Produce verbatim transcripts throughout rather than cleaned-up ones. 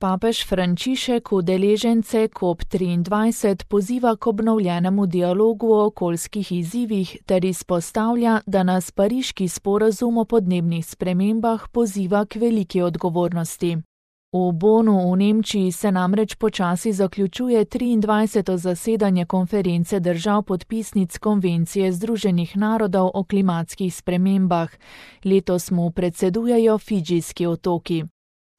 Papež Frančišek udeležence COP triindvajset poziva k obnovljenemu dialogu o okoljskih izzivih ter izpostavlja, da nas pariški sporazum o podnebnih spremembah poziva k veliki odgovornosti. V Bonu v Nemčiji se namreč počasi zaključuje triindvajseto zasedanje konference držav podpisnic Konvencije Združenih narodov o klimatskih spremembah. Letos mu predsedujejo Fidžijski otoki.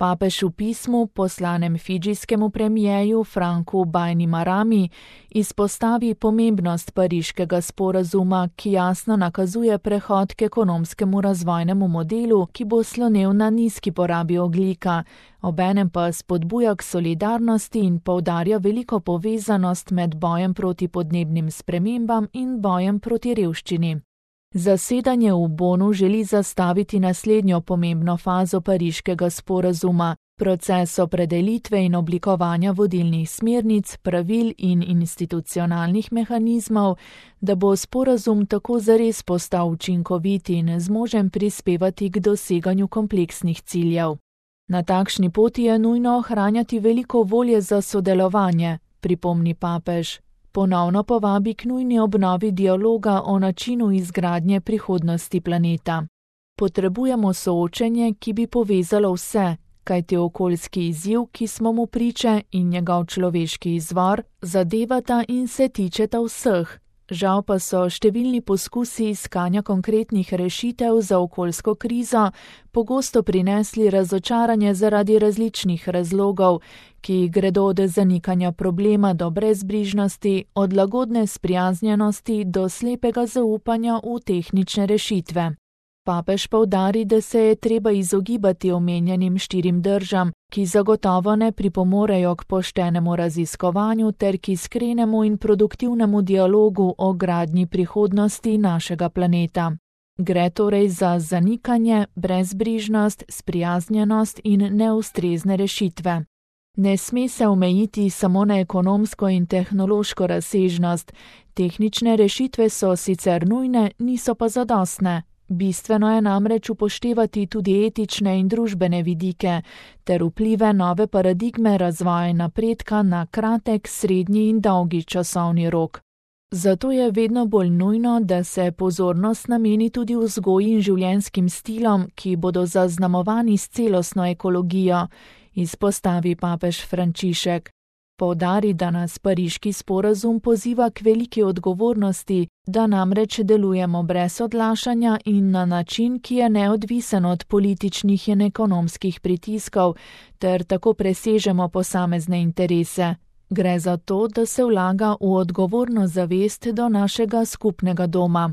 Papež v pismu, poslanem fidžijskemu premijeju Franku Bainimarami, izpostavi pomembnost pariškega sporazuma, ki jasno nakazuje prehod k ekonomskemu razvojnemu modelu, ki bo slonel na nizki porabi ogljika, obenem pa spodbuja k solidarnosti in poudarja veliko povezanost med bojem proti podnebnim spremembam in bojem proti revščini. Zasedanje v Bonu želi zastaviti naslednjo pomembno fazo pariškega sporazuma, proces opredelitve in oblikovanja vodilnih smernic, pravil in institucionalnih mehanizmov, da bo sporazum tako zares postal učinkovit in zmožen prispevati k doseganju kompleksnih ciljev. Na takšni poti je nujno ohranjati veliko volje za sodelovanje, pripomni papež. Ponovno povabi k nujni obnovi dialoga o načinu izgradnje prihodnosti planeta. Potrebujemo soočenje, ki bi povezalo vse, kajti okoljski izziv, ki smo mu priče, in njegov človeški izvor zadevata in se tičeta vseh. Žal pa so številni poskusi iskanja konkretnih rešitev za okoljsko krizo pogosto prinesli razočaranje zaradi različnih razlogov, ki gredo od zanikanja problema do brezbrižnosti, od lagodne sprijaznjenosti do slepega zaupanja v tehnične rešitve. Papež poudari, da se je treba izogibati omenjenim štirim držam, ki zagotovo ne pripomorejo k poštenemu raziskovanju ter k iskrenemu in produktivnemu dialogu o gradnji prihodnosti našega planeta. Gre torej za zanikanje, brezbrižnost, sprijaznjenost in neustrezne rešitve. Ne sme se omejiti samo na ekonomsko in tehnološko razsežnost. Tehnične rešitve so sicer nujne, niso pa zadostne. Bistveno je namreč upoštevati tudi etične in družbene vidike ter vplive nove paradigme razvoja in napredka na kratek, srednji in dolgi časovni rok. Zato je vedno bolj nujno, da se pozornost nameni tudi vzgoji in življenjskim stilom, ki bodo zaznamovani s celostno ekologijo, izpostavi papež Frančišek. Poudari, da nas pariški sporazum poziva k veliki odgovornosti, da namreč delujemo brez odlašanja in na način, ki je neodvisen od političnih in ekonomskih pritiskov, ter tako presežemo posamezne interese. Gre za to, da se vlaga v odgovorno zavest do našega skupnega doma.